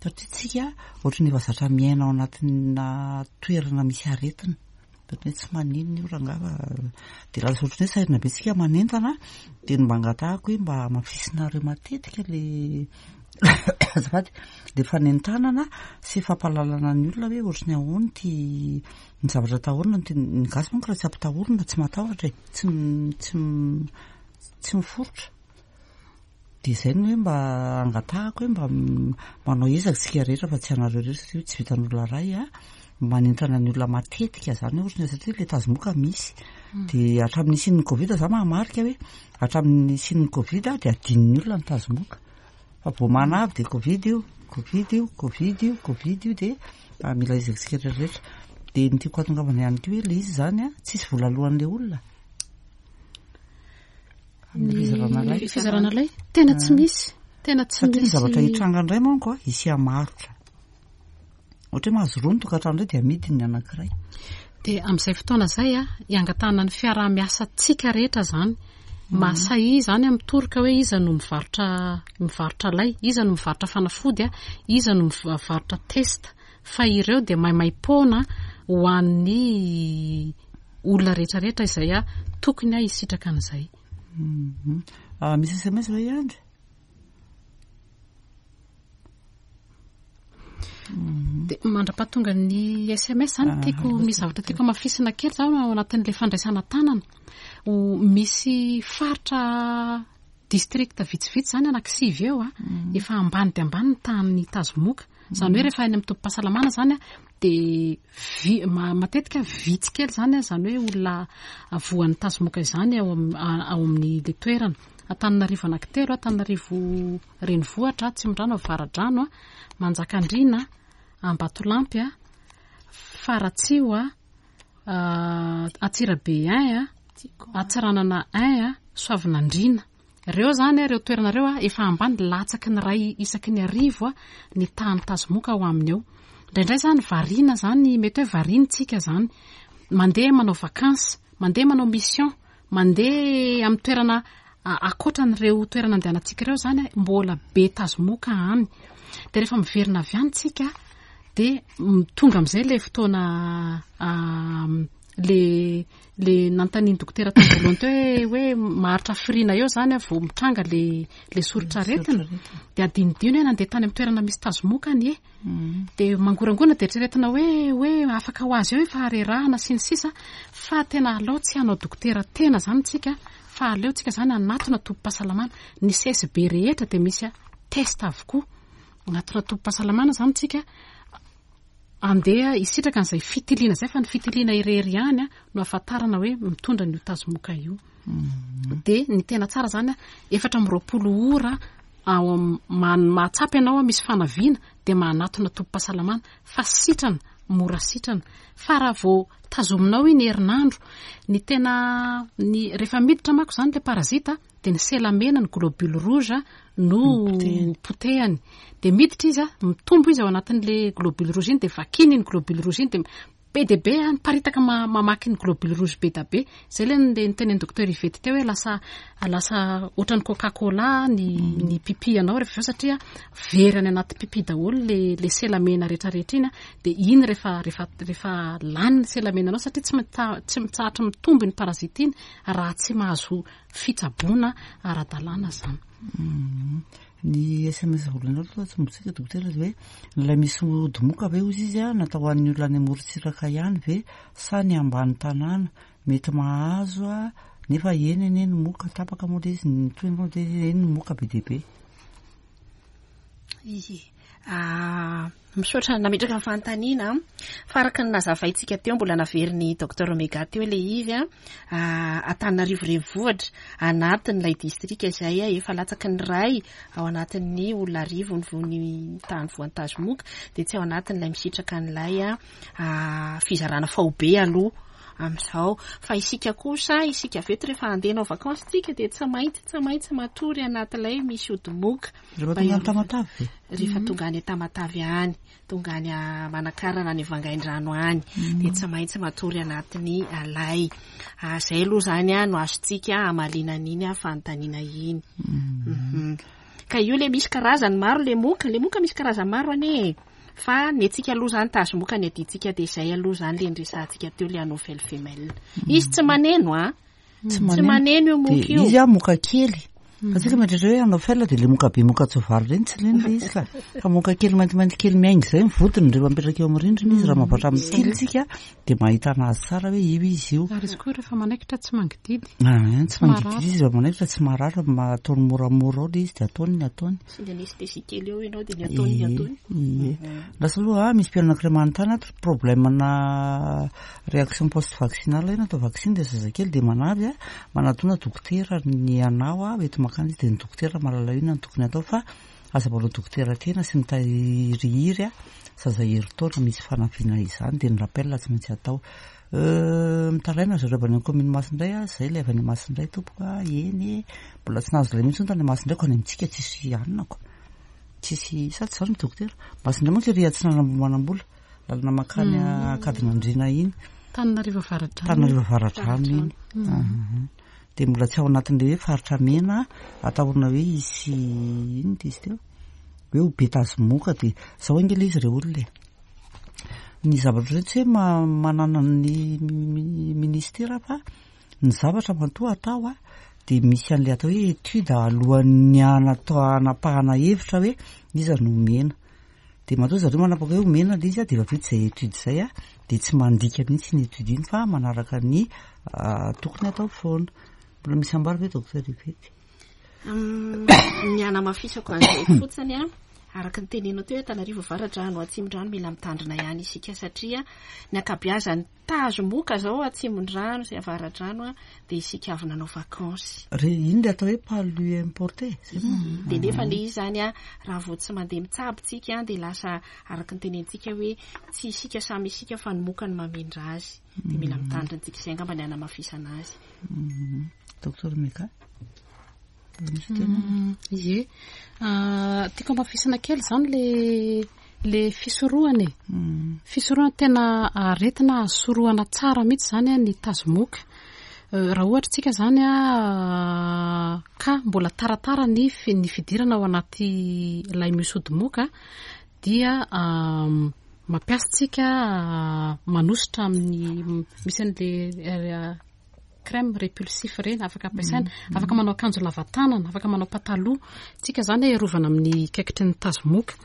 Satria tsika ohatran'ny efa zatra miaina ao anatina toerana misy aretina. Ohatran'ny hoe tsy maninona io rangaha, dia lasa ohatran'ny hoe sahirana be tsika manentana, dia ny mba angatahako hoe mba hamafisinareo matetika le azafady, le fanentanana sy fampahalalana ny olona hoe ohatran'ny ahoana ity ny zavatra atahorana. Ny gasy manko raha tsy ampitahorina tsy matahotra e, tsy tsy tsy miforitra. Dia izay no hoe mba angatahako hoe mba manao ezaka isika rehetra, fa tsy anareo rehetra satria tsy vitan'olona iray a, manentana ny olona matetika izany hoe ohatran'ny satria ilay tazomoka misy. Dia hatramin'ny nisian'ny Covid za mahamarika hoe hatramin'ny nisian'ny Covid dia adinon'ny olona ny tazomoka. Fa vao manavy dia Covid io, Covid io, Covid io, Covid io, dia mila ezaka isika rehetra. Dia ny tiako hahatongavana ihany koa hoe ilay izy izany a, tsisy vola alohan'ilay olona. Ny fizarana lay. Fizarana lay, tena tsy misy. Tena tsy Satria ny misy. zavatra hitranga indray manko a, hisy hamarotra. Ohatra hoe mahazo roa ny tokantrano indray dia amidy ny anankiray. Dia amin'izay fotoana izay a, hiangatahana ny fiaraha-miasantsika rehetra izany. Mahasahy izany amin'ny toroka hoe iza no mivarotra, mivarotra lay, iza no mivarotra fanafody a, iza no mivarotra test. Fa ireo dia maimaim-poana ho an'ny olona rehetrarehetra izay a tokony a hisitraka an'izay. Misy S M S ve ihany? Dia mandra-pahatonga ny S M S zany, tiako misy zavatra tiako hamafisina kely zany ao anatin'ilay fandraisana tanana. Ho misy faritra district vitsivitsy zany anankisivy eo a, efa ambany dia ambany ny tahan'ny tazomoka. Izany hoe rehefa any amin'ny tobim-pahasalamana zany a, dia vi-, ma-, matetika vitsy kely zany a, izany hoe olona voan'ny tazomoka izany ao am-, ao amin'ny le toerana. Antananarivo anankitelo, Antananarivo renivohitra, Atsimondrano, Avaradrano, Manjakandriana, Ambatolampy, Faratsiho, Antsirabe un, Antsiranana un, Soavinandriana. Ireo zany, ireo toerana ireo efa ambany latsaky ny iray isaky ny arivo ny tahan'ny tazomoka ao aminy eo. Indraindray zany variana zany, mety hoe variana tsika zany, mandeha manao vacances, mandeha manao mission, mandeha amin'ny toerana ankoatran'ireo toerana andehanantsika ireo zany, mbola be tazomoka any. Dia rehefa miverina avy any tsika, dia tonga amin'izay ilay fotoana, le, le nanontanian'ny dokotera tamin'ny voalohany teo hoe, hoe maharitra firiana eo zany a, vao mitranga le, le soritr'aretina. Dia adinodino hoe nandeha tany amin'ny toerana misy tazomoka anie. Dia mangorangorana dia eritreretina hoe, hoe afaka ho azy eo efa harerahana sy ny sisa, fa tena aleo tsy hanao dokotera tena zany tsika, fa aleo tsika zany hanatona tobim-pahasalamana. Ny C S B rehetra dia misy test avokoa. Hanatona tobim-pahasalamana zany tsika, andeha hisitraka an'izay fitiliana izay, fa ny fitiliana irery ihany a no ahafantarana hoe mitondra an'io tazomoka io. Dia ny tena tsara zany a, efatra amby roapolo ora ao am-, ma-, mahatsapa ianao a misy fanaviana, dia manatona tobim-pahasalamana, fa sitrana, mora sitrana. Fa raha vao tazominao iny herinandro, ny tena, ny, rehefa miditra manko zany ilay parazita, dia ny sela mena, ny globule rouge no potehany. Dia miditra izy a, mitombo izy ao anatin'ilay globule rouge iny, dia vakiny iny globule rouge iny, dia Be dia be a, miparitaka mamaky ny globule rouge be da be. Zay le nitenen'ny docteur Yvette teo hoe lasa lasa ohatran'ny Coca-Cola ny ny pipi anao rehefa avy eo, satria very any anaty pipi daholo le le sela mena rehetrarehetra iny a. Dia iny rehefa rehefa rehefa lany ny sela mena anao, satria tsy mita- tsy mitsahatra mitombo ny parasite iny raha tsy mahazo fitsaboana ara-dalàna zany. Ny S M S voalohany aloha tsy mbotsika dokotera hoe ilay misy ody moka ve ozy izy a, natao ho an'ny olona any amorontsiraka ihany ve sa ny ambany tanàna mety mahazo a? Nefa eny eny ny moka tapaka moa le izy ny toy moa de eny ny moka be dia be. Ie. Ah, misaotra nametraka ny fanontaniana, fa araka ny nazavaintsika teo, mbola naverin'ny docteur Omega teo le izy a, Antananarivo renivohitra anatin'ilay distrika izay a efa latsaky ny ray ao anatin'ny olona arivo ny voany tany voan-tazomoka, dia tsy ao anatin'ilay misitraka an'ilay a fizarana faobe aloha amin'izao. Fa isika kosa, isika avy eto, rehefa andeha hanao vacances tsika, dia tsy maintsy tsy maintsy matory anatin'ilay misy ody moka. Rehefa tonga any Tamatavy ve? Rehefa tonga any Tamatavy any, tonga any Manakarana, any Vangaindrano any, dia tsy maintsy matory anatin'ny lay. Zay aloha zany a no azontsika hamaliana an'iny a fanontaniana iny. Mhm. Ka io le misy karazany maro le moka, le moka misy karazany maro ane. Fa ny antsika aloha zany tazomoka ny adintsika, dia zay aloha zany le niresahantsika teo, le anophèle femelle. Izy tsy maneno a. Tsy maneno io moka io. Izy a moka kely. Fa tsika mieritreritra hoe anophèle dia le moka be, moka tsoavaly reny, tsy reny le izy ka. Fa moka kely maintimainty kely miainga izay mivodiny rehefa mipetraka eo amin'ny rindrina izy, raha mavatra mitily tsika dia mahita anazy tsara hoe io izy io. Ary izy koa rehefa manaikitra tsy mangididy. Ah, tsy mangididy izy rehefa manaikitra, tsy marary, ataony moramora ao le izy dia ataony ny ataony. Sy ny anesthésie kely eo ianao dia ny ataony ny ataony. Ie. Lasa aloha misy mpianana anankiray manontany ato, problème na réaction post vaccinale io, natao vaccin dia zazakely dia manavy a, manatona dokotera ny anao a, eto makany izy dia ny dokotera mahalala inona no tokony atao, fa aza manao dokotera tena sy mitahirihiry a zaza herintaona misy fanaviana izany, dia ny rappel tsy maintsy atao. Mitaraina zareo avy any amin'ny commune Masindray a, zay ilay avy any Masindray tompoko a, eny mbola tsy nahazo lay mihitsy tany Masindray ko, any amintsika tsisy anina ko. Tsisy sa tsy zany dokotera? Masindray manko ery atsinanana Ambohimanambola, lalana makany Ankadinandriana iny. Tananarivo Avaradrano. Tananarivo Avaradrano iny. Dia mbola tsy ao anatin'ilay hoe faritra mena atahorana hoe hisy ino ty izy teo hoe ho be tazomoka. Dia zao ange ilay izy re olona e. Ny zavatra ireo tsy hoe manana ny ministera, fa ny zavatra matoa atao a dia misy an'ilay atao hoe étude alohan'ny anatao anapahana hevitra hoe iza no omena. Dia matoa zareo manapaka hoe omena ilay izy a, dia efa vita izay étude izay a, dia tsy mandika mihitsy ny étude iny fa manaraka ny tokony atao foana. Mbola misy ambara ve docteur Yvette? Ny anamafisako an'izay fotsiny a, araka ny tenenao teo hoe Antananarivo Avaradrano, Atsimondrano, mila mitandrina ihany isika, satria ny ankabeazan'ny tazomoka zao Atsimondrano sy Avaradrano a dia isika avy nanao vacances. Re iny le atao hoe palu importé zay moa. Dia nefa le izy zany a, raha vao tsy mandeha mitsabo tsika, dia lasa araka ny tenentsika hoe tsy isika samy isika fa ny moka no mamindra azy, dia mila mitandrina tsika. Izay angamba ny anamafisana azy. Docteur Meka? Misy tena? Ie. Tiako amafisana kely zany le le fisorohana e. Fisorohana tena aretina azo sorohana tsara mihitsy zany a ny tazomoka. Raha ohatra tsika zany a ka mbola taratara ny ny fidirana ao anaty lay misy ody moka, dia mampiasa tsika manosotra amin'ny misy an'le crème répulsif reny afaka ampiasaina, afaka manao akanjo lava tanana, afaka manao pataloha tsika zany arovana amin'ny kaikitry ny tazomoka.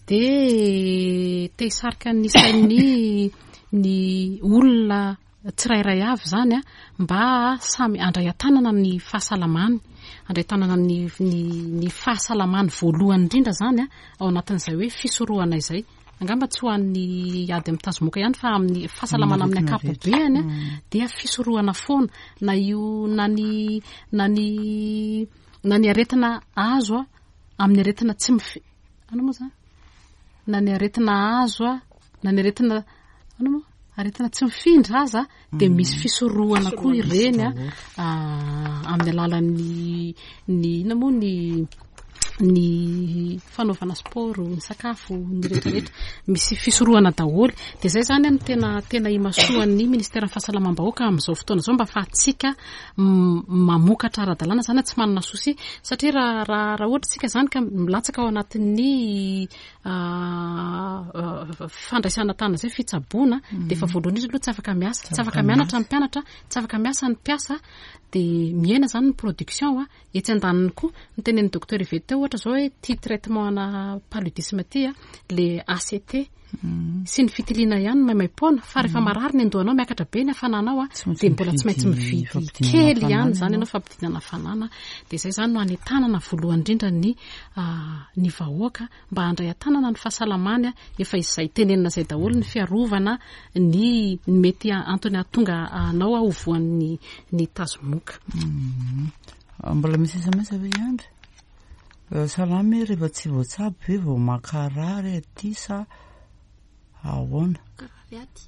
Dia te hisarika ny sain'ny ny olona tsirairay avy zany a mba samy andray an-tanana ny fahasalamany, andray an-tanana ny ny ny fahasalamany voalohany indrindra zany a ao anatin'izay hoe fisorohana izay. Angamba tsy ho an'ny ady amin'ny tazomoka ihany fa amin'ny fahasalamana amin'ny ankapobeany a dia fisorohana foana, na io na ny na ny na ny aretina azo a amin'ny aretina tsy mifi ana moa zany, na ny aretina azo a na ny aretina ana moa aretina tsy mifindra aza, dia misy fisorohana koa ireny a amin'ny alalan'ny ny ina moa ny Ny fanaovana sport, ny sakafo, ny rehetrarehetra, misy fisorohana daholo. Dia izay izany no tena tena imasoan'ny ministeran'ny fahasalamam-bahoaka amin'izao fotoana izao, mba ahafahantsika mamokatra ara-dalàna izany, tsy manana souci, satria raha raha raha ohatra isika izany ka milatsaka ao anatin'ny fandraisana tanana izay fitsaboana, dia efa voalohany indrindra aloha tsy afaka miasa, tsy afaka mianatra ny mpianatra, tsy afaka miasa ny mpiasa, dia mihena izany ny production. A etsy andaniny koa ny tenenin'ny docteur Yvette teo, ohatra zao hoe ty traitement ana paludisme ty a, le A C T sy ny fitiliana ihany maimaim-poana, fa rehefa marary ny andohanao, miakatra be ny hafananao a, dia mbola tsy maintsy mividy kely ihany zany ianao fampidinana hafanana. Dia izay zany no anentanana voalohany indrindra ny ny vahoaka mba handray an-tanana ny fahasalamany. A efa izay tenenina izay daholo, ny fiarovana ny ny mety antony ahatonga anao a ho voan'ny ny tazomoka. Mbola misy S M S ve iandry? Salamy, rehefa tsy voatsabo ve vao makarary aty sa ahoana? Karary aty.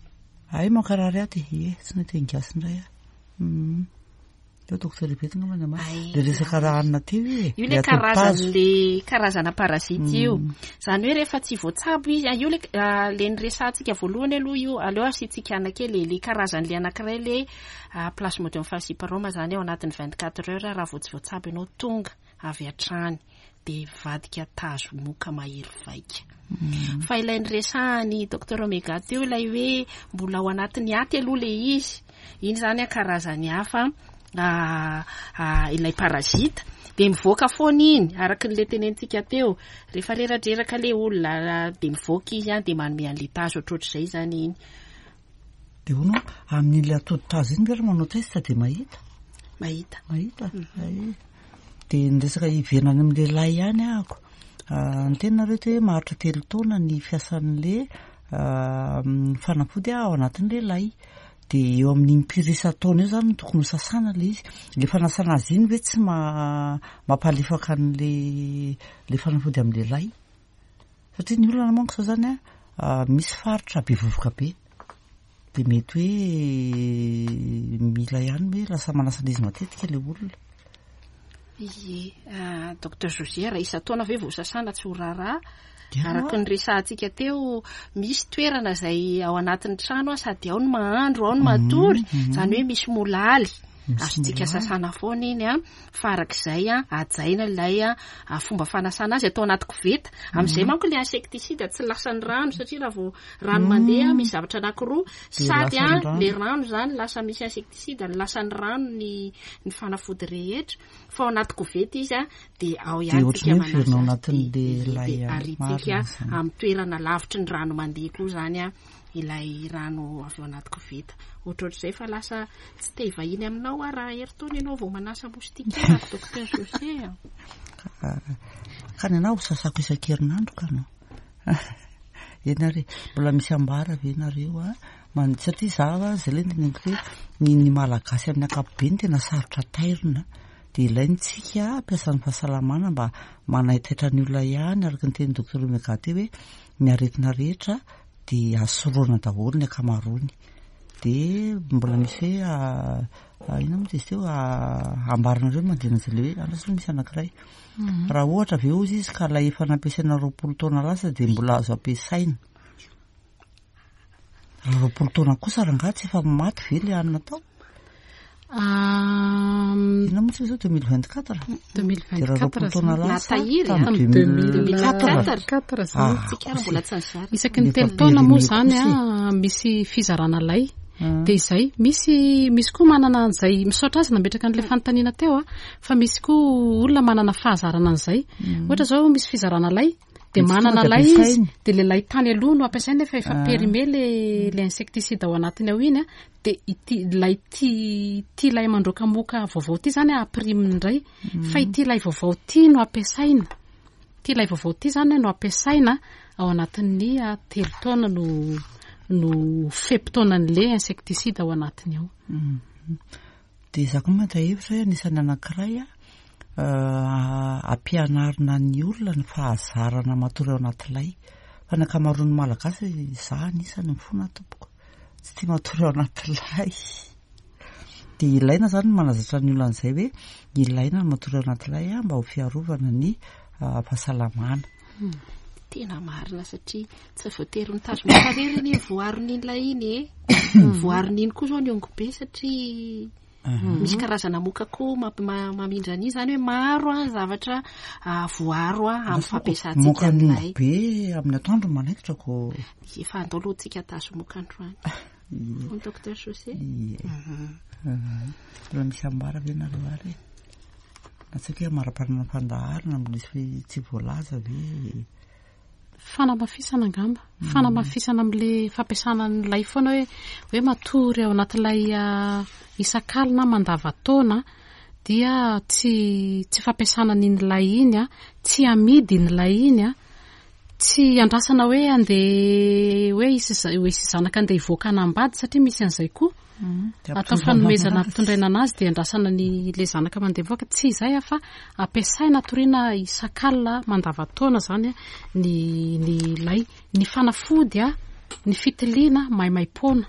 Ay, makarary aty ie, tsy nahita gasy indray a. Eo docteur Yvette ngamba ny ama le resaka raha hanina teo e. Io le karazan'le karazana parasite io zany hoe rehefa tsy voatsabo izy io, le le niresahantsika voalohany aloha io, aleo asiantsika ana kely le karazan'le anankiray, le plasmodium falciparum zany, ao anatin'ny vingt quatre heures raha vao tsy voatsabo ianao, tonga avy hatrany de vadika tazo moka mahery vaika. Fa ilay niresahany docteur Omega teo, ilay hoe mbola ao anatin'ny aty aloha le izy iny zany a, karazany hafa ilay parasite, de mivoaka foana iny araky n'le tenenitsika teo, rehefa reradreraka le olona de mivoaka izy a, de manome an'le tazo ohatrohatr'izay zany iny. De hono amin'iny atody tazo iny ve raha manao test de mahita? Mahita. Mahita. De ny resaka iverina any amin'ny lehilahy ihany ahako, ny tena reo hoe maharitra telo taona ny fiasan'le fanafody ao anatin'ny lehilahy, de eo amin'ny impiry isan-taona eo zany no tokony ho sasana le izy. Le fanasana azy iny ve tsy ma mampalefaka an'le le fanafody amin'ny lehilahy? Satria ny olana manko zao zany a, misy faritra be vovoka be, de mety hoe mila ihany hoe lasa manasa an'izy matetika le olona. Ie, docteur José, raha isan-taona ve vao sasana, tsy ho raharaha. Araky ny resahantsika teo, misy toerana zay ao anatin'ny trano a, sady ao ny mahandro, ao ny matory, zany hoe misy molaly azontsika sasana foana iny a. Fa arak'izay a, ajaina ilay a fomba fanasana azy, atao anaty koveta amin'izay manko le insecticide tsy lasa ny rano, satria raha vao rano mandeha misy zavatra anankiroa, sady a le rano zany lasa misy insecticide, lasa ny rano ny ny fanafody rehetra. Fa ao anaty koveta izy a, de ao ihany tsika manasa, de aritsika amin'ny toerana lavitry ny rano mandeha koa zany a ilay rano avy ao anaty koveta, ohatrohatr'izay. Fa lasa tsy te hivahiny aminao a raha herintaona ianao vao manasa moustiquaire, docteur José a. Ka ny anao sasako isan-kerinandro ka anao eny ary. Mbola misy ambara ve nareo a? Man satria za zay le teneniko hoe ny ny malagasy amin'ny ankapobeny tena sarotra tairina, de ilaintsika ampiasan'ny fahasalamana mba manaitaitra ny olona ihany, araka ny teny docteur Omega teo hoe ny aretina rehetra de azo daholo ny ankamaroany. De mbola misy hoe ina moa izy teo ambaranareo manodidina an'izay le hoe andraso, misy anankiray: raha ohatra ve ozy izy ka lay efa nampiasaina roapolo taona lasa de mbola azo ampiasaina? Raha roapolo taona kosa rangahy, tsy efa maty ve le hanina tao? Ina moa tsy zao deux mille vingt quatre? Deux mille De raha roapolo taona lasa Natahiry, tamin'ny a. deux mille quatre. Quatre zany. Ah, Tsika ary mbola tsy nizara. Isaky ny Nefa telo taona moa périmé zany kosa a misy fizarana lay, Ah. de izay misy misy koa manana an'izay. Misaotra azy nametraka an'le fanontaniana teo a, fa misy koa olona manana fahazarana an'izay, ohatra zao misy fizarana lay de Misy manana tonga de lay izy, ampiasainy. De le lay tany aloha no ampiasainy nefa efa Ah. périmé le le insecticide ao anatiny ao iny a, de ity lay ty ty lay mandroaka moka vaovao ty zany a ampiriminy indray, fa ity lay vaovao ty no ampiasaina, ty lay vaovao ty zany no ampiasaina ao anatin'ny a, telo taona no no fe-potoanan'le insecticide ao anatiny ao. Mhm. De za koa mahita hevitra hoe anisan'ny anankiray a euh, ampianarina ny olona ny fahazarana matory ao anaty lay, fa ny ankamaroan'ny malagasy, za anisany, mifona tompoko, tsy tia matory ao anaty lay. De ilaina zany ny manazatra ny olona an'izay hoe ilaina ny matory ao anaty lay a, mba ho fiarovana ny fahasalamana. Tena marina, satria tsy voatery ny tazomoka irery anie voaron'iny lay iny e. Voaron'iny koa zao ny ongobe, satria misy karazana moka koa mamindra an'iny, zany hoe maro a zavatra voaro a amin'ny fampiasantsika Moka ny ongobe amin'ny atoandro manaikitra ko. Efa andao aloha tsika tazomoka androany. Docteur José. Mbola misy ambara ve nareo ary? Na tsy haiko hoe amara-parana fandaharana mbola misy tsy voalaza ve? Fanamafisana angamba, fanamafisana amin'le fampiasana ny foana, hoe hoe matory ao anatin'ilay isan-kalina mandava-taona, dia tsy tsy fampiasana n'iny lay iny a, tsy amidy iny lay iny a, tsy andrasana hoe andeha hoe isy hoe isy zanaka andeha hivoaka anambady, satria misy an'izay koa atao fanomezana ampitondraina anazy, dia andrasana ny le zanaka mandeha mivoaka. Tsy izay a, fa ampiasaina atoriana isan-kalina mandava-taona zany a ny ny lay, ny fanafody a, ny fitiliana maimaim-poana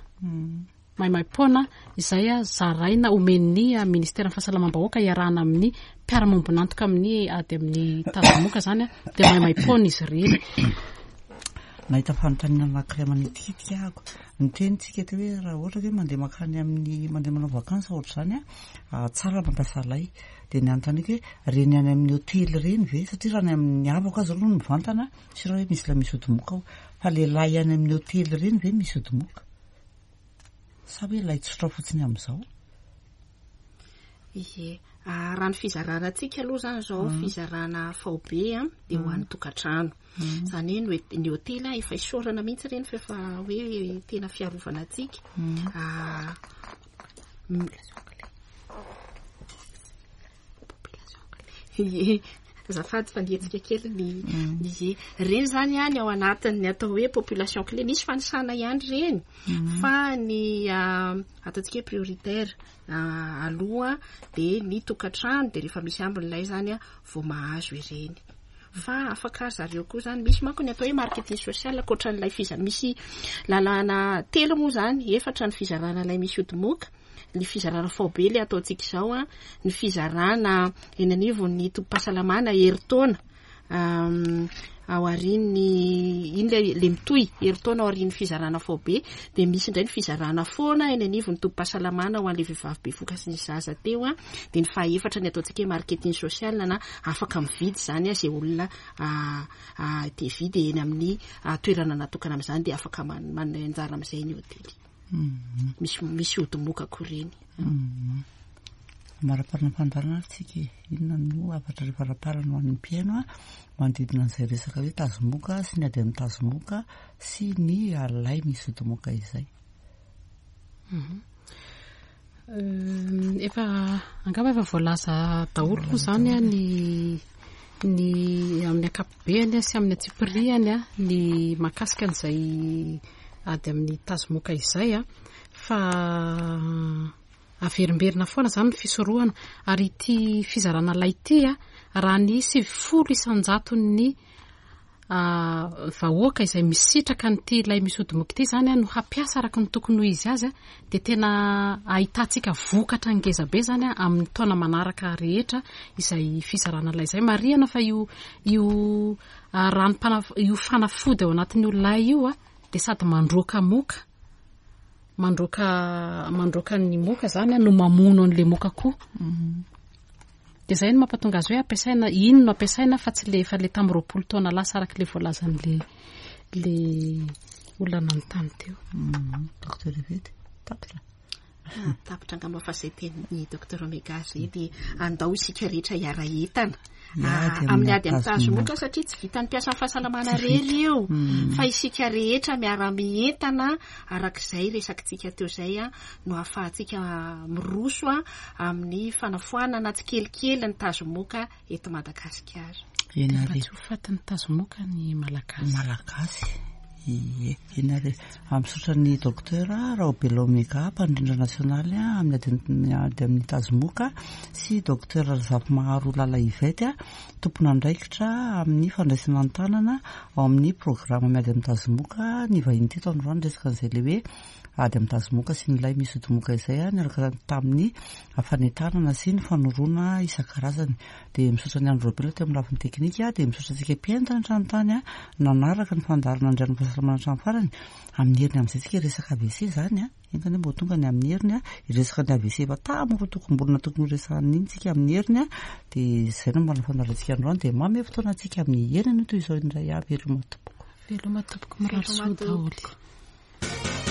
maimaim-poana izay a zaraina omen'ny ministeran'ny fahasalamam-bahoaka iarahana amin'ny mpiara-miombon'antoka amin'ny ady amin'ny tazomoka zany a, dia maimaim-poana izy ireny. Nahita fanontaniana anankiray manitikitika ahako. Niteny tsika teo hoe raha ohatra hoe mandeha makany amin'ny mandeha manao vacances ohatra izany a, tsara mampiasa lay. Dia ny anontaniako hoe reny any amin'ny hotely ireny ve? Satria raha ny amin'ny havako aza aloha no mivantana, tsy raha hoe misy lay misy ody moka ao. Fa le lay any amin'ny hotely ireny ve misy ody moka? Sa hoe lay tsotra fotsiny amin'izao? Ie, raha ny fizarana antsika aloha zany zao, fizarana faobe a dia ho an'ny tokantrano. Zany hoe ny hotely efa isaorana mihitsy ireny fa efa hoe tena fiarovana antsika. Ie, azafady fa nihetsika kely ny ie. Ireny zany a ny ao anatin'ny atao hoe population clé, misy fanisana ihany ireny, fa ny ataontsika hoe prioritaire aloha dia ny tokantrano, dia rehefa misy ambin'ilay zany a vao mahazo ireny. Fa afaka zareo koa zany, misy manko ny atao hoe marketing social ankoatran'ilay fiza, misy lalàna telo moa zany, efatra ny fizarana ilay misy ody moka, ny fizarana faobe le ataontsika izao a, ny fizarana eny anivon'ny tobim-pahasalamana herintaona aorian'ny iny le le mitohy herintaona aorian'ny fizarana faobe, dia misy indray ny fizarana foana eny anivon'ny tobim-pahasalamana ho an'ilay vehivavy bevohoka sy ny zaza teo a, dia ny fahaefatra ny ataontsika hoe marketing social, na afaka mividy zany a izay olona te hividy eny amin'ny toerana natokana amin'izany, dia afaka manome anjara amin'izay ny hotely. Misy misy ody moka koa ireny. Maraparana fandaharana ary tsika e. Inona no hafatra rehefa faraparana ho an'ny mpihaino a manodidina an'izay resaka hoe tazomoka sy ny ady amin'ny tazomoka sy ny lay misy ody moka izay? Efa angamba efa voalaza daholo moa zany a ny ny amin'ny ankapobeny sy amin'ny antsipiriany a ny mahakasika an'izay ady amin'ny tazomoka izay a, fa averimberina foana zany ny fisorohana. Ary ity fizarana lay ity a, raha ny sivifolo isan-jaton'ny vahoaka izay misitraka an'ity lay misy ody moka ity zany a no hampiasa araka ny tokony ho izy azy a, dia tena ahitantsika vokatra ngeza be zany a amin'ny taona manaraka rehetra izay fizarana lay izay. Marihana fa io io rano io fanafody ao anatin'io lay io a dia sady mandroaka moka, mandroaka mandroaka ny moka zany a no mamono an'le moka koa. Dia izay no mampatonga azy hoe ampiasaina, iny no ampiasaina fa tsy le efa le tamin'ny roapolo taona lasa araka le voalazan'le le olona nanontany teo. Docteur Yvette, tapitra. Tapitra angamba fa izay tenin'ny docteur Omega zay, dia andao isika rehetra hiara-entana amin'ny ady amin'ny tazomoka, satria tsy vitan'ny mpiasan'ny fahasalamana irery io, fa isika rehetra miara-mientana arak'izay resakitsika teo izay a no ahafahantsika miroso a amin'ny fanafoanana tsikelikely ny tazomoka eto Madagasikara. Eny ary. Mba tsy ho fatin'ny tazomoka ny Malagasy. Malagasy. Ie, eny ary. Misaotra ny docteur Raobelina Omega, mpandrindra nasionaly amin'ny ady ady amin'ny tazomoka, sy docteur Razafimaharo Lala Yvette, tompon'andraikitra amin'ny fandraisana an-tanana ao amin'ny programme miady amin'ny tazomoka. Ny vahiny teto androany resaka an'izay le hoe ady amin'ny tazomoka sy ny lay misy odimoka izay a, niaraka tamin'ny fanentanana sy ny fanoroana isan-karazany. Dia misaotra ny Andro Robela teo amin'ny lafiny teknika, dia misaotra antsika mpihaino tany an-trano tany a, nanaraka ny fandaharana Andrian'ny fahasalamana hatramin'ny farany. Amin'ny heriny amin'izay tsika resaka A V C zany a, enga anie mbo tonga ny amin'ny heriny a, hiresaka ny A V C efa tamako tokom-bolana tokony ho resahana iny tsika amin'ny heriny a. Dia izay no mbola fandaharantsika androany, dia manome fotoana antsika amin'ny heriny io toy izao indray avy. Veloma tompoko. Veloma tompoko, mirary soa daholo.